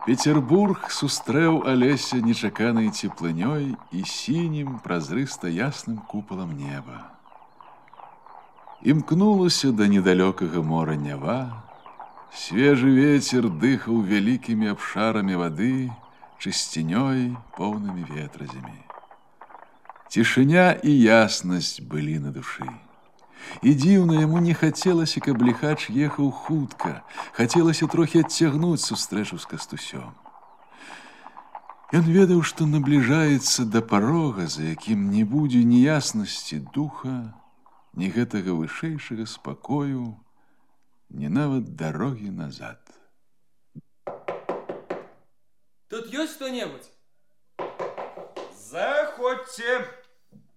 Петербург сустрэў Алеся нечаканай цеплынёй і сінім празрыста ясным купалам неба. Імкнулася да недалёкага мора Нева, свежы вецер дыхаў вялікімі абшарамі вады, чысцінёй, поўнымі ветразямі. Цішыня і яснасць былі на душы. І дзіўна яму не хацелася, каб ліхач ехаў хутка, хацелася трохі адцягнуць сустрэчу з Кастусём. Ён ведаў, што набліжаецца да парога, за якім не будзе ні яснасці духа, ні гэтага вышэйшага спакою, ні нават дарогі назад. Тут ёсць хто-небудзь? Заходзьце,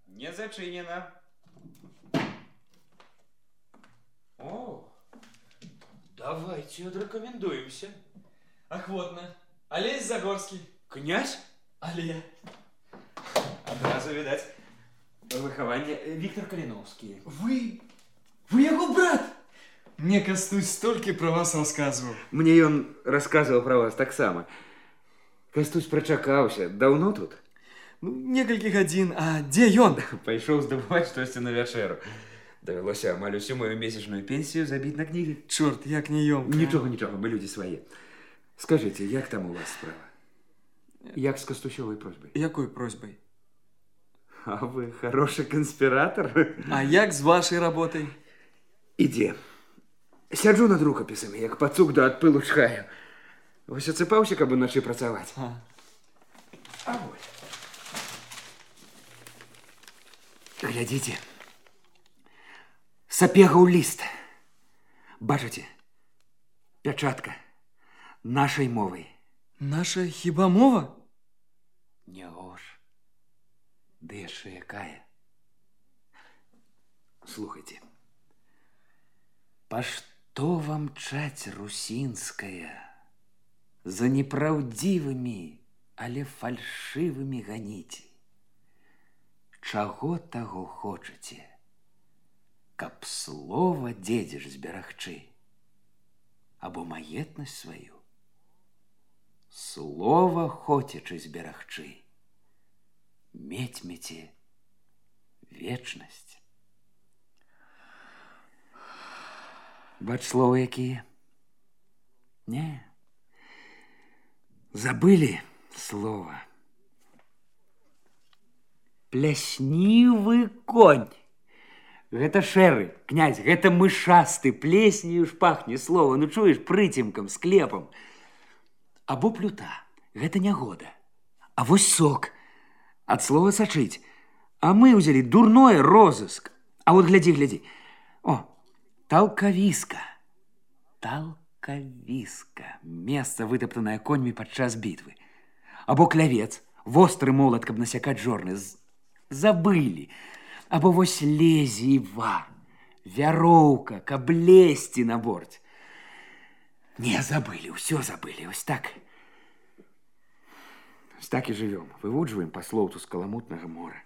не зачынена. О, давайте отрекомендуемся. Охотно. Олесь Загорский. Князь? Але. Одразу видать. Выхование Виктор Калиновский. Вы его брат? Мне Костусь столько про вас рассказывал. Мне он рассказывал про вас так само. Костусь прочакаўся. Давно тут? Ну, некалькіх гадзін. А где ён? Пайшоў здабываць штосьці на вячэру. Давялося амаль усю мою месячную пенсію забіць на кнігі. Чорт, як не ёмка. Нічога, мы людзі свае. Скажите, як там у вас справа? Як з Кастусёвай просьбай? Якой просьбай? А вы хороший конспиратор. А як з вашей работой? Ідзе. Сяджу над рукапісамі, як пацук да ад пылу чхаю. Вось ацыпаўся, каб уначы працаваць. А вось. Глядзіце. Сапегаў ліст. Бачыце? Пячатка. Нашай мовай. Наша хіба мова? Няго ж. Ды яшчэ якая. Слухайце. Па што вам мчаць русінская за непраўдзівымі, але фальшывымі ганіць? Чаго таго хочаце? Каб слова дзедзіш зберагчы? Або маетнасць сваю? Слова хочачы зберагчы? Мець-меце вечнасць. Бач словы якія? Не. Забылі слова. Пляснівы конь. Гэта шэры, князь, гэта мышасты, плеснею ж пахне слова. Ну чуеш, прыцемкам, склепам. Або плюта, гэта нягода. А вось сок. Ад слова сачыць. А мы ўзялі дурное розыск. А вот глядзі. О, талкавіска. Талкавіска. Месца, вытаптанае коньмі падчас бітвы. Або клявец, востры молат, каб насякаць жорны. Забылі. Або вось лезіва. Вяроўка, каб лезці на борт. Не, забылі, ўсё забылі. Ось так. Ось так і жывём. Вывуджваем па слоўцу з каламутнага мора.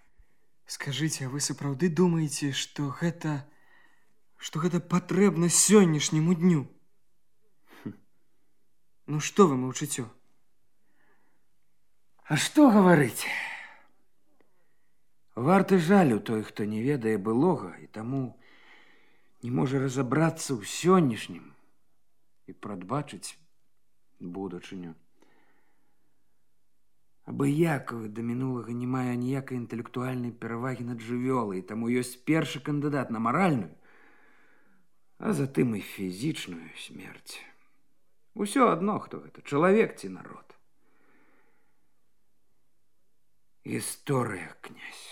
Скажыце, а вы сапраўды думаеце, што гэта патрэбна сённяшняму дню? Ну што вы маўчыцё? А што гаварыць? Варты жалю той, хто не ведае былога і таму не можа разабрацца ў сённяшнім і прадбачыць будучыню. Абыякавы да мінулага не мае ніякай інтэлектуальнай перавагі над жывёлай, таму ёсць першы кандыдат на маральную, а затым і фізічную смерць. Усё адно, хто гэта, чалавек ці народ. Гісторыя, князь.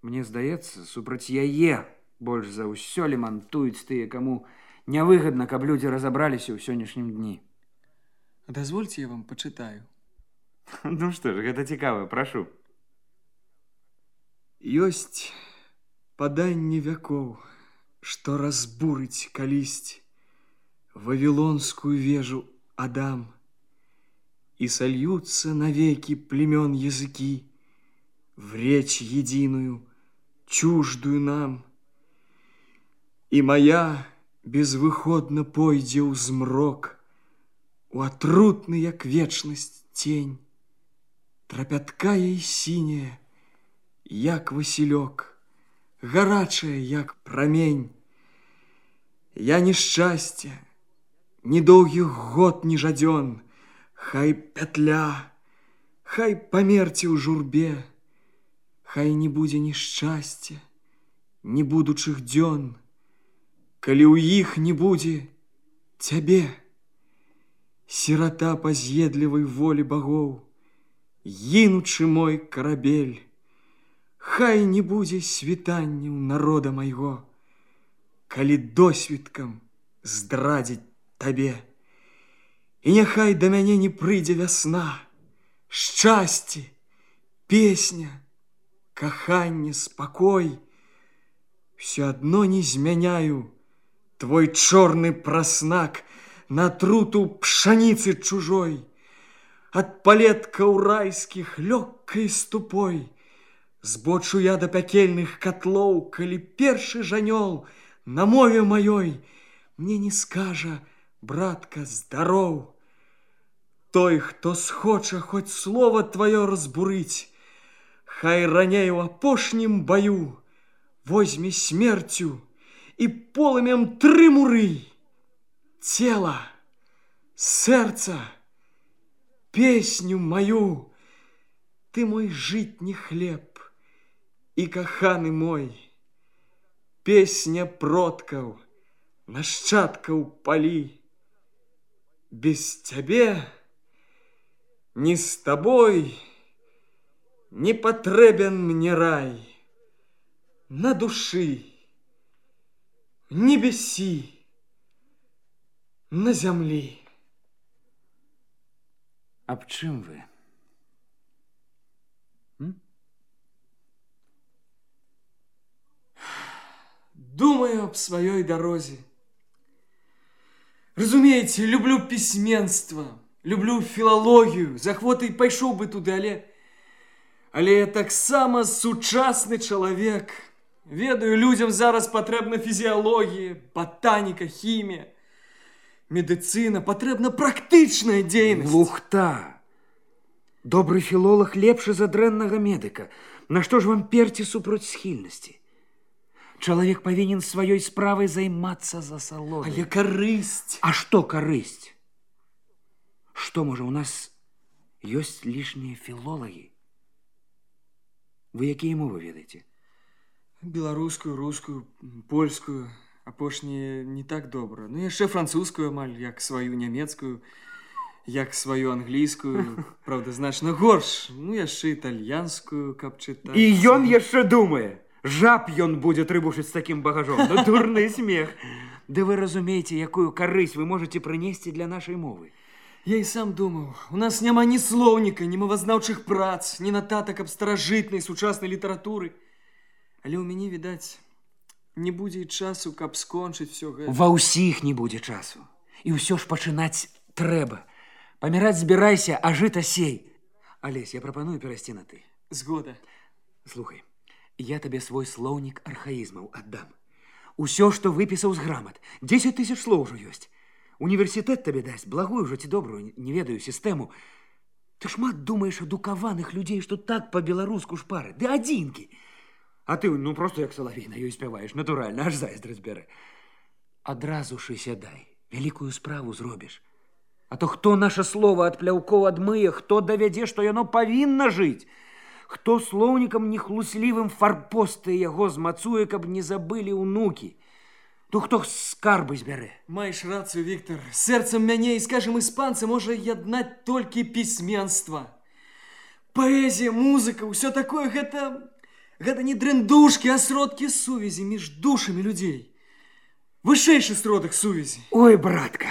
Мне здаецца, супраць яе больш за ўсё лемантуюць тыя, каму нявыгадна, каб людзі разабраліся ў сённяшнім дні. Дазвольце, я вам пачытаю. Ну што ж, гэта цікава, прашу. Ёсць паданне вякоў, што разбурыць калісьці вавілонскую вежу Адам, и сольются навеки племен языки в речь единую, чуждую нам. И моя безвыходно пойдзе ў змрок, у атрутны, як вечнасць, тень, трапяткая і сіняя, як васілёк, гарачая, як прамень. Я ні шчасця, ні доўгіх год, ні жадзён, хай пятля, хай памерці ў журбе, хай не будзе ні шчасця, ні будучых дзён, калі ў іх не будзе цябе. Сірата па з'едлівай волі багоў, гінучы мой карабель, хай не будзе світанняў народа майго, калі досвіткам здрадзіць табе. І няхай да мяне не прыйдзе вясна, шчасце, песня, каханне, спакой. Всё адно не змяняю твой чорны праснак на труту пшаніцы чужой, ад палеткаў райскіх лёгкай ступой. Збочу я да пякельных котлоў, калі першы жанёл на мове маёй мне не скажа: братка, здароў. Той, хто схоча хоць слова тваё разбурыць, хай раней у апошнім баю возьме смерцю і полымем 3 муры: цела, сэрца, песню маю. Ты мой жытні хлеб і каханы мой, песня продкаў, нашчадкаў палі. Без цябе, ні з табой не патрэбен мне рай. На душы, небесі, на зямлі. Аб чым вы? Думаю об сваёй дарозе. Разумееце, люблю пісьменства, люблю філалогію, з ахвотай пайшоў бы туды, але я таксама сучасны чалавек. Ведаю, людзям зараз патрэбна фізіялогія, батаніка, хімія, медыцына, патрэбна практычная дзейнасць. Лухта! Добры філолог лепшы за дрэннага медыка. Нашто ж вам перці супроць схільнасці? Чалавек павінен сваёй справай займацца за салодай. Але карысць. А што карысць? Што, можа, у нас ёсць лішнія філолагі? Вы якія мовы ведаеце? Беларускую, рускую, польскую. Апошнія не так добра. Ну, яшчэ французскую амаль, як сваю нямецкую, як сваю англійскую. Правда, значна горш. Ну, яшчэ італьянскую, каб чытаць. І ён яшчэ думае. Жаб ён будзе трыбушыць з такім багажом. Ну, дурны смех. Ды вы разумееце, якую карысць вы можаце прынесці для нашай мовы? Я і сам думаў. У нас няма ні слоўніка, ні мовазнаўчых прац, ні нататак аб старажытнай сучаснай літаратуры. Але ў мяне, відаць, не будзе і часу, каб скончыць всё гэта. Ва ўсіх не будзе часу. І ўсё ж пачынаць трэба. Паміраць збірайся, а жыта сей. Алесь, я прапаную перайсці на ты. Згода. Слухай, я табе свой слоўнік архаізмаў аддам. Усё, што выпісаў з грамат. 10 000 слоў ужо ёсць. Універсітэт табе дасць благую ўжо ці добрую, не ведаю, сістэму. Ты шмат думаеш адукаваных людзей, што так па-беларуску шпары. Ды адзінкі. А ты, ну, просто як салавей на ёй спяваеш. Натуральна, аж зайздрасць бярэ. Адразу ж і сядай. Вялікую справу зробіш. А то хто наша слова ад пляўкоў адмые, хто давядзе, што яно павінна жыць? Хто слоўнікам нехлуслівым фарпосты яго змацуе, каб не забылі ўнукі? То хто скарбы збярэ? Маеш рацыю, Віктор. Сэрцам мяне і, скажем, іспанца можа яднаць толькі пісьменства. Паэзія, музыка, ўсё такое, гэта не дрындушкі, а сродкі сувязі між душамі людзей. Вышэйшы сродак сувязі. Ой, братка,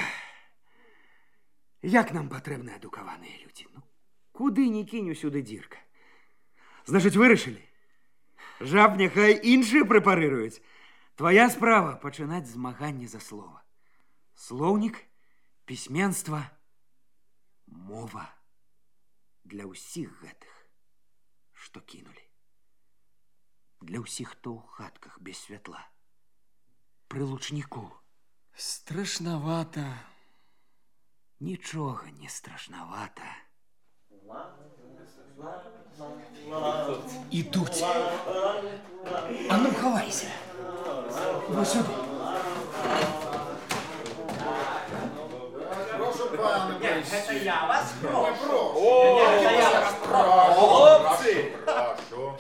як нам патрэбны адукаваныя людзі? Ну, куды ні кінь, усюды дзірка. Значыць, вырашылі? Жаб няхай іншыя прэпарыруюць. Твоя справа пачынаць змаганне за слова. Слоўнік, пісьменства, мова для ўсіх гэтых, што кінулі. Для ўсіх, хто ў хатках без святла. Пры лучніку. Страшнавата. нічога не страшнавата. Ідуць. А ну, хавайся. Вось сюди. Прошу пана, Это я вас прошу. Хлопцы!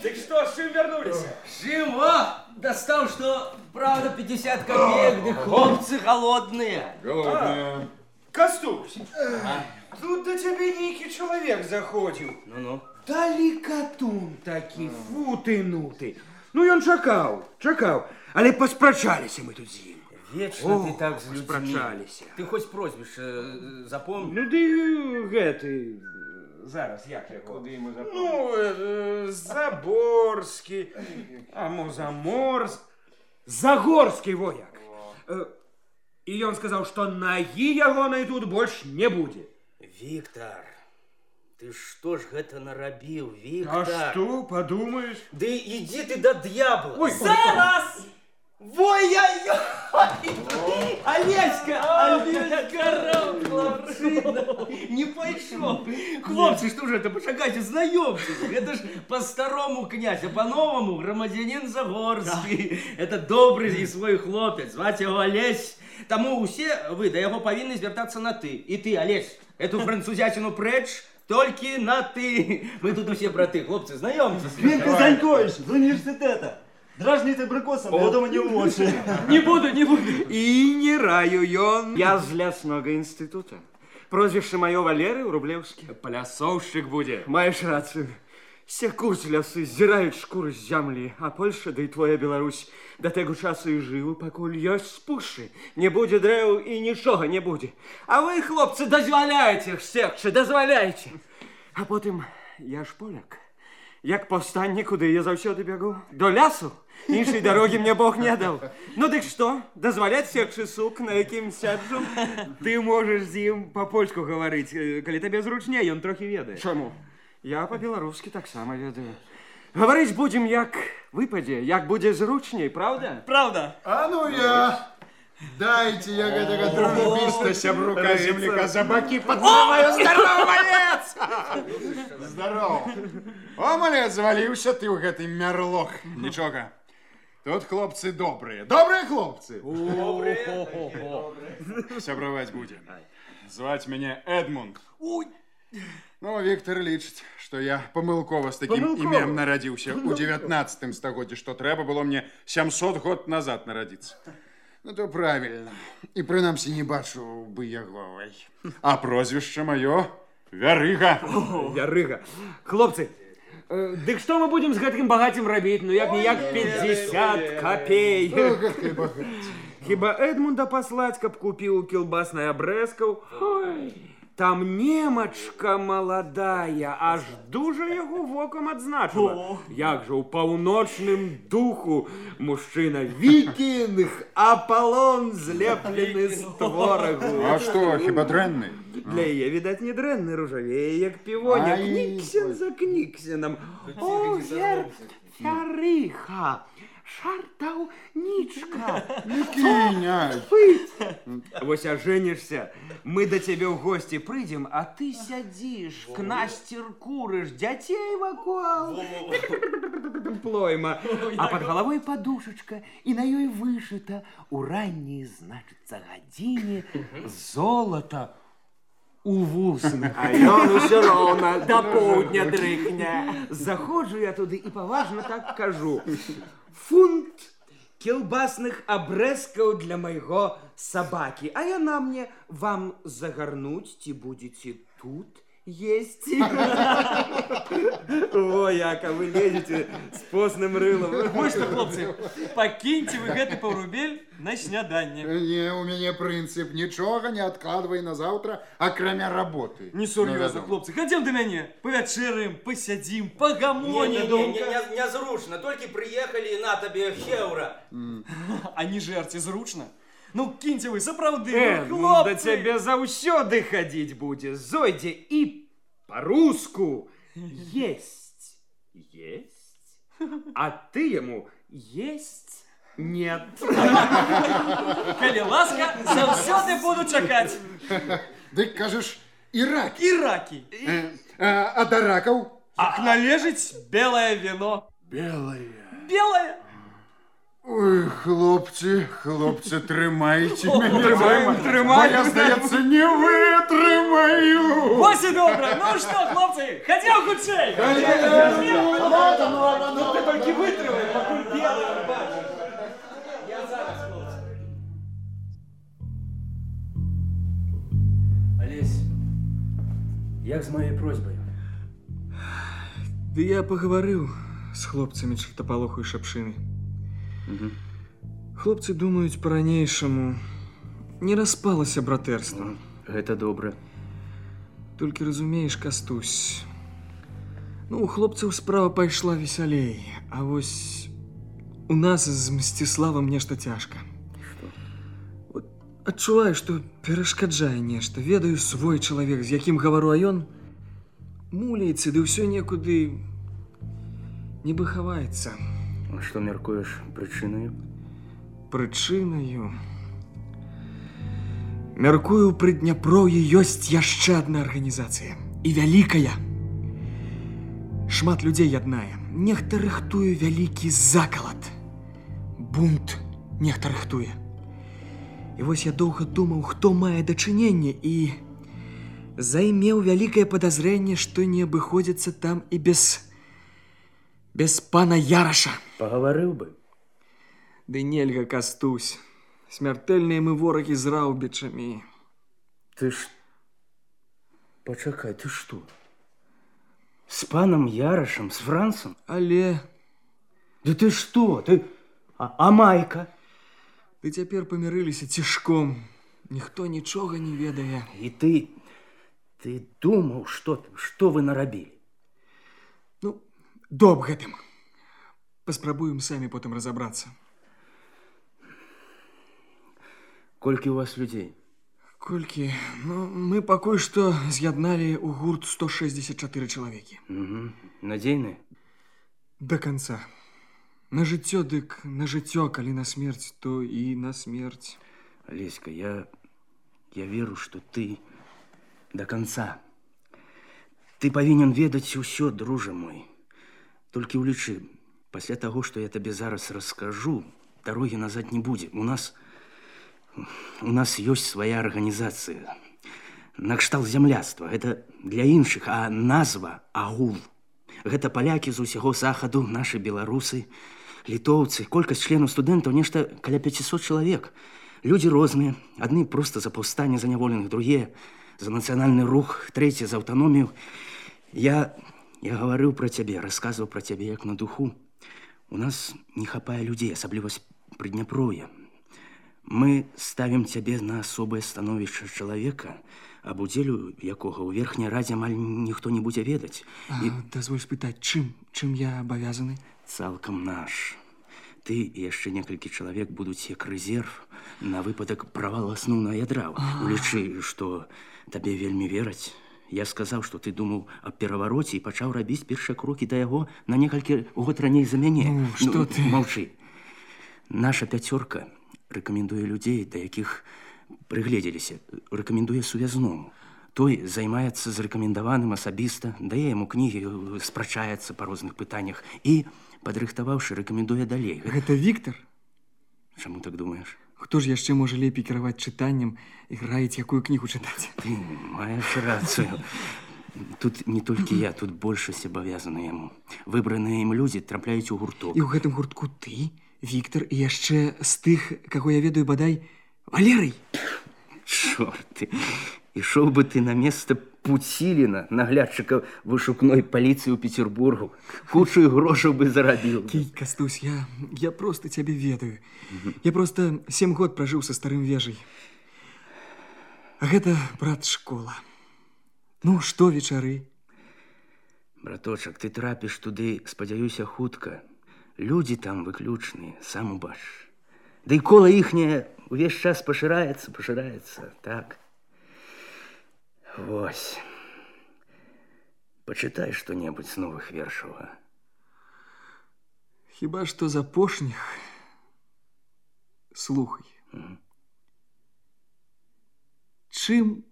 Так что, с чем вернулись? Жим, достал, что правда 50 копеек, да хлопцы голодные. Голодные. Костусь, тут до тебе некий человек заходил. Ну-ну. Далекатун такі, фу ты, ну ты. Ну, ён чакаў, але паспрачаліся мы тут з ім. Вечно ты так с людьми. Спрачаліся. Ты хоть просьбишь, запомни. Ну, ды гэты... Зараз, як яго? Ну, Заборский, а Музаморск. Загорскі вояк. І ён сказаў, што нагі ягонай тут больш не будзе. Виктор, ты что ж гэта нарабіў, А Виктор? што, падумаеш? Да иди ты до дьявола. Ой, зараз! Ой-ой-ой! Олеська, хлопчина! Не пайшов. Хлопцы, что же это, почекайте, знайомьтесь. Это ж по-старому князь, а по-новому громадянин Загорский. Это добрый и свой хлопец, звать его Олесь. Тому усе вы до яго павінны звяртацца на ты. И ты, Олесь, эту французятину прэч, толькі на ты. Мы тут усе браты, хлопцы, знайомьтесь. Венка Занькович з університету. Дражніць абрикосом, я дома не умочу. Не буду. І не раю ён. Я з ляснога інстытута. Прозвішча маё Валерый Рублеўскі. Плясоўшчык будзе. Маеш рацыю. Секуць лясы, здзіраюць шкуры з зямлі, а Польша, да і твоя Беларусь да таго часу і жыву, пакуль ёсць спушы. Не будзе дрэў і нічога не будзе. А вы, хлопцы, дазваляеце секчы, дазваляеце. А потым, я ж поляк. Як паўстанне, куды я заўсёды бягу? До лясу. Іншай дарогі мне Бог не даў. Ну дык што, дазваляць секчы сук, на якім сяджу? Ты можаш з ім па-польску гаварыць, калі табе зручней, ён трохі ведае. Чаму? Я па-беларускі таксама ведаю. Гаварыць будзем, як выпадзе, як будзе зручней, правда? Правда? А ну я... Дайте я гэтага дружбіста сябрука земляка за бакі падмываю. Здорово, малец! Здорово. О, малец, заваліўся ты ў гэты мярлох. Нічога. Тут хлопцы добрыя. Добрыя хлопцы. Сябраваць будзем. Зваць мяне Эдмунд. Ну, Віктор лічыць, што я памылкова з такім імем нарадзіўся ў 19 стагоддзі, што трэба было мне 700 год назад нарадзіцца. Ну, то правильно. І прынамсі не бачу бы яго. А прозвішча маё Вярыга. Вярыга. Хлопцы, дык што мы будзем з гэтым багацем рабіць? Ну, як-ніяк 50 копей. Хіба Эдмунда паслаць, каб купіў кілбаснай абрэзкаў? Ой, там немачка маладая, аж дужа яго вокам адзначыла. Як жа ў паўночным духу мужчына вікінг, Аполлон злеплены з творагу. А што, хіба дрэнны? Для яе, відаць, не дрэнны, ружавее, як півоня. Кніксен за кніксенам. О, Вярыга! Шартаўнічка! Кіня! Вось ажэнішся, мы да цябе ў госці прыйдзем, а ты сядзіш, кнасцер курыш, дзяцей вакол. Плойма. А пад галавой падушачка, і на ёй вышыта у ранняй, значыцца, гадзіне золата у вусны. А ён усё роўна да поўдня дрыхне. Заходжу я туды і паважна так кажу. Фунт кілбасных абрэзкаў для майго сабакі. А яна мне, вам загарнуць, ці будзеце тут есці? О, яка вы лезеце з постным рылам. Вы што, хлопцы, пакіньце вы гэты паўрубель на сняданне. Не, у мяне прынцып, нічога не адкладвай на заўтра, акрамя работы. Несур'ёзна, хлопцы, хадзем да мяне, павячэраем, пасядзім, пагамонім. Нязручна, толькі прыехалі, на табе хеўра. А не жэрце зручна? Ну, кіньце вы, сапраўды, хлопцы! Да цябе заўсёды хадзіць будзе, зойдзе і па-руску есть. Есть? А ты яму есть? Нет. Калі ласка, заўсёды буду чакаць. Дык, кажаш, і ракі. І ракі. А да ракаў? Як належыць белае віно. Белое. Белае. Ой, хлопцы, трымайце мяне. Трымаем. Я, здаецца, не вытрымаю. Вось і добра. Ну што, хлопцы, хадзем хутчэй. Ну ты толькі вытрымай, пакуль белае бачыш. Я зараз, хлопцы. Олесь, як з моєю просьбою? Ды я пагаварыў з хлопцамі чартапалоху і шапшыны. Хлопцы думаюць па-ранейшаму. Не распалася братэрства. Гэта добра. Толькі разумееш, Кастусь. Ну, у хлопцаў справа пайшла весялей. А вось у нас з Мсціславам нешта цяжка. Што? Вот адчуваю, што перашкаджае нешта. Ведаю свой чалавек, з якім гавару, а ён муляецца, ды ўсё некуды нібы хаваецца. А што мяркуеш прычынаю? Прычынаю. Мяркую, пры Дняпроўі ёсць яшчэ адна арганізацыя. І вялікая. Шмат людзей яднае. Нехта рыхтуе вялікі закалат. Бунт нехта рыхтуе. І вось я доўга думаў, хто мае дачыненне, і займеў вялікае падазрэнне, што не абыходзіцца там і без пана Яраша. Пагаварыў бы. Ды нельга, Кастусь. Смяртэльныя мы ворагі з раўбічамі. Ты ж... Пачакай, ты што? З панам Ярашам, з Францам? Але... Да ты што? Ты... А Майка? Ды цяпер памірыліся цішком. Ніхто нічога не ведае. І ты думаў, што вы нарабілі? Ну, доб гэтым. Паспрабуем самі потым разабрацца. Колькі у вас людзей? Колькі? Ну, мы пакуль што з'ядналі ў гурт 164 чалавекі. Надзейныя? Да канца. На жыццё, дык на жыццё, калі на смерць, то і на смерць. Алеська, я веру, што ты до конца. Ты павінен ведаць усё, дружа мой. Толькі ўлічы, пасля таго, што я табе зараз раскажу, дарогі назад не будзе. У нас ёсць свая арганізацыя. Накшталт зямляцтва. Гэта для іншых, а назва агул. Гэта палякі з усяго захаду, нашы беларусы, літоўцы. Колькасць членаў студэнтаў нешта каля 500 чалавек. Людзі розныя. Адны проста за паўстанне заняволеных, другія за нацыянальны рух, трэці за аўтаномію. Я гаварыў пра цябе, расказваў пра цябе як на духу. У нас не хапае людзей, асабліва пры Дняпроўі. Мы ставім цябе на асобае становішча чалавека, аб удзелю якога ў верхняй радзе амаль ніхто не будзе ведаць. Дазволь спытаць, чым я абавязаны? Цалкам наш. Ты і яшчэ некалькі чалавек будуць як рэзерв на выпадак правалу асноўнага ядра. Улічы, што табе вельмі вераць. Я сказаў, што ты думаў аб перавароце і пачаў рабіць першыя крокі да яго на некалькі год раней за мяне. Ну, што ты? Маўчы. Наша пяцёрка рэкамендуе людзей, да якіх прыгледзеліся. Рэкамендуе сувязному. Той займаецца з рэкамендаваным асабіста, дае яму кнігі, спрачаецца па розных пытаннях і, падрыхтаваўшы, рэкамендуе далей. Гэта Віктар? Чаму так думаеш? Хто ж яшчэ можа лепей кіраваць чытаннем і раіць, якую кнігу чытаць? Ты маеш рацыю. Тут не толькі я, тут большасць абавязана яму. Выбраныя ім людзі трапляюць у гурток. І ў гэтым гуртку ты, Віктар, і яшчэ з тых, каго я ведаю, бадай, Валерый? Чорт ты. Ішоў бы ты на место Пуціліна, наглядчыка вышукной паліцыі ў Петербургу. Кучу грошаў бы зарабіў. Кій, Кастусь, я проста цябе ведаю. Я проста 7 год пражыў са старым вежай. А гэта, брат, школа. Ну, што вечары? Браточак, ты трапіш туды, спадзяюся, хутка. Людзі там выключныя, сам убачыш. Ды і кола іхняе увесь час пашыраецца, так. Вось. Пачытай што-небудзь з новых вершаў, а? Хіба што з апошніх. Слухай. Чым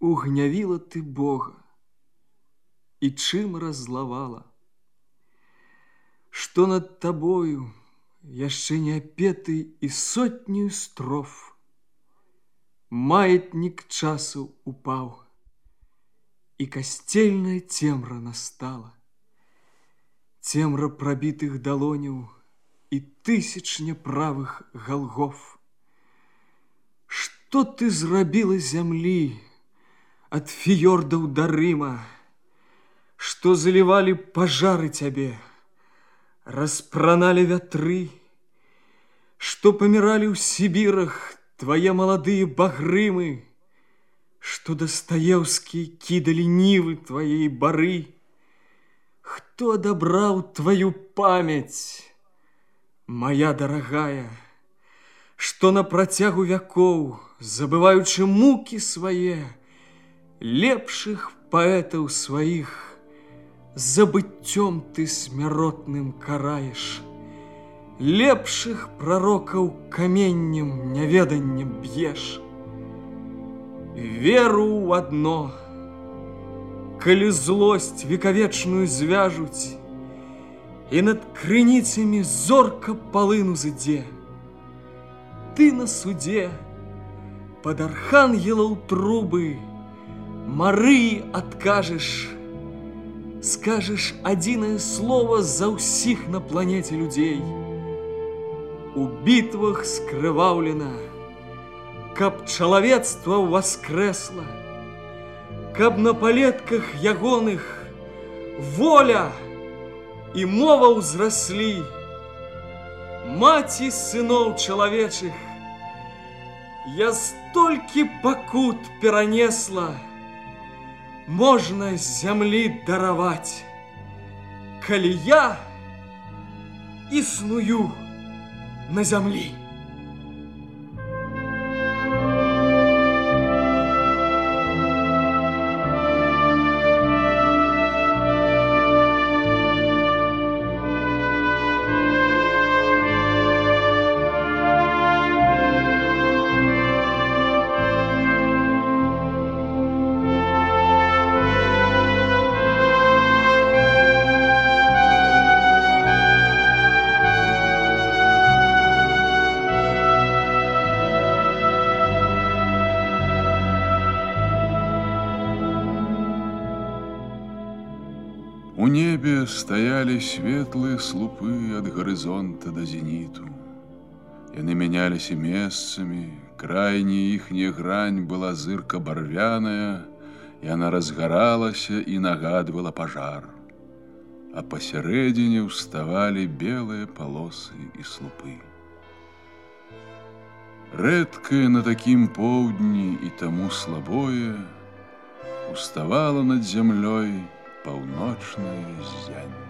угнявіла ты Бога і чым раззлавала, што над табою яшчэ не апеты і сотню строф. Маятнік часу упаў, і касцельная цемра настала, цемра прабітых далоняў і тысяч няправых галгоф. Што ты зрабіла зямлі ад фіёрдаў да Рыма, што залівалі пажары цябе, распраналі вятры, што паміралі ў Сібірах твае маладыя багрымы, што дастаеўскія кідалі нівы тваей бары. Хто адабраў тваю памяць, моя дарагая, што на працягу вякоў, забываючы мукі свае, лепшых паэтаў сваіх забыццём ты смяротным караеш, лепшых прарокаў каменнем няведаннем б'еш. Веру ў адно, калі злосць векавечную звяжуць, і над крыніцамі зорка палыну зыдзе, ты на суде пад архангелаў трубы Марыі адкажаш, скажаш адзінае слова за ўсіх на планеце людзей. У бітвах скрываўлена, каб чалавецтва воскрэсла, каб на палетках ягоных воля і мова ўзраслі. Маці сыноў чалавечых, я столькі пакут перанесла, можна з зямлі дараваць, калі я існую на зямлі. У небе стаялі светлыя слупы ад гарызонта да зеніту. Яны мяняліся месцамі, крайняя іхняя грань была зырка барвяная, яна разгаралася і нагадвала пажар, а пасярэдзіне ўставалі белыя палосы і слупы. Рэдкае на такім поўдні і таму слабое уставала над зямлёй паўночнае ззянне.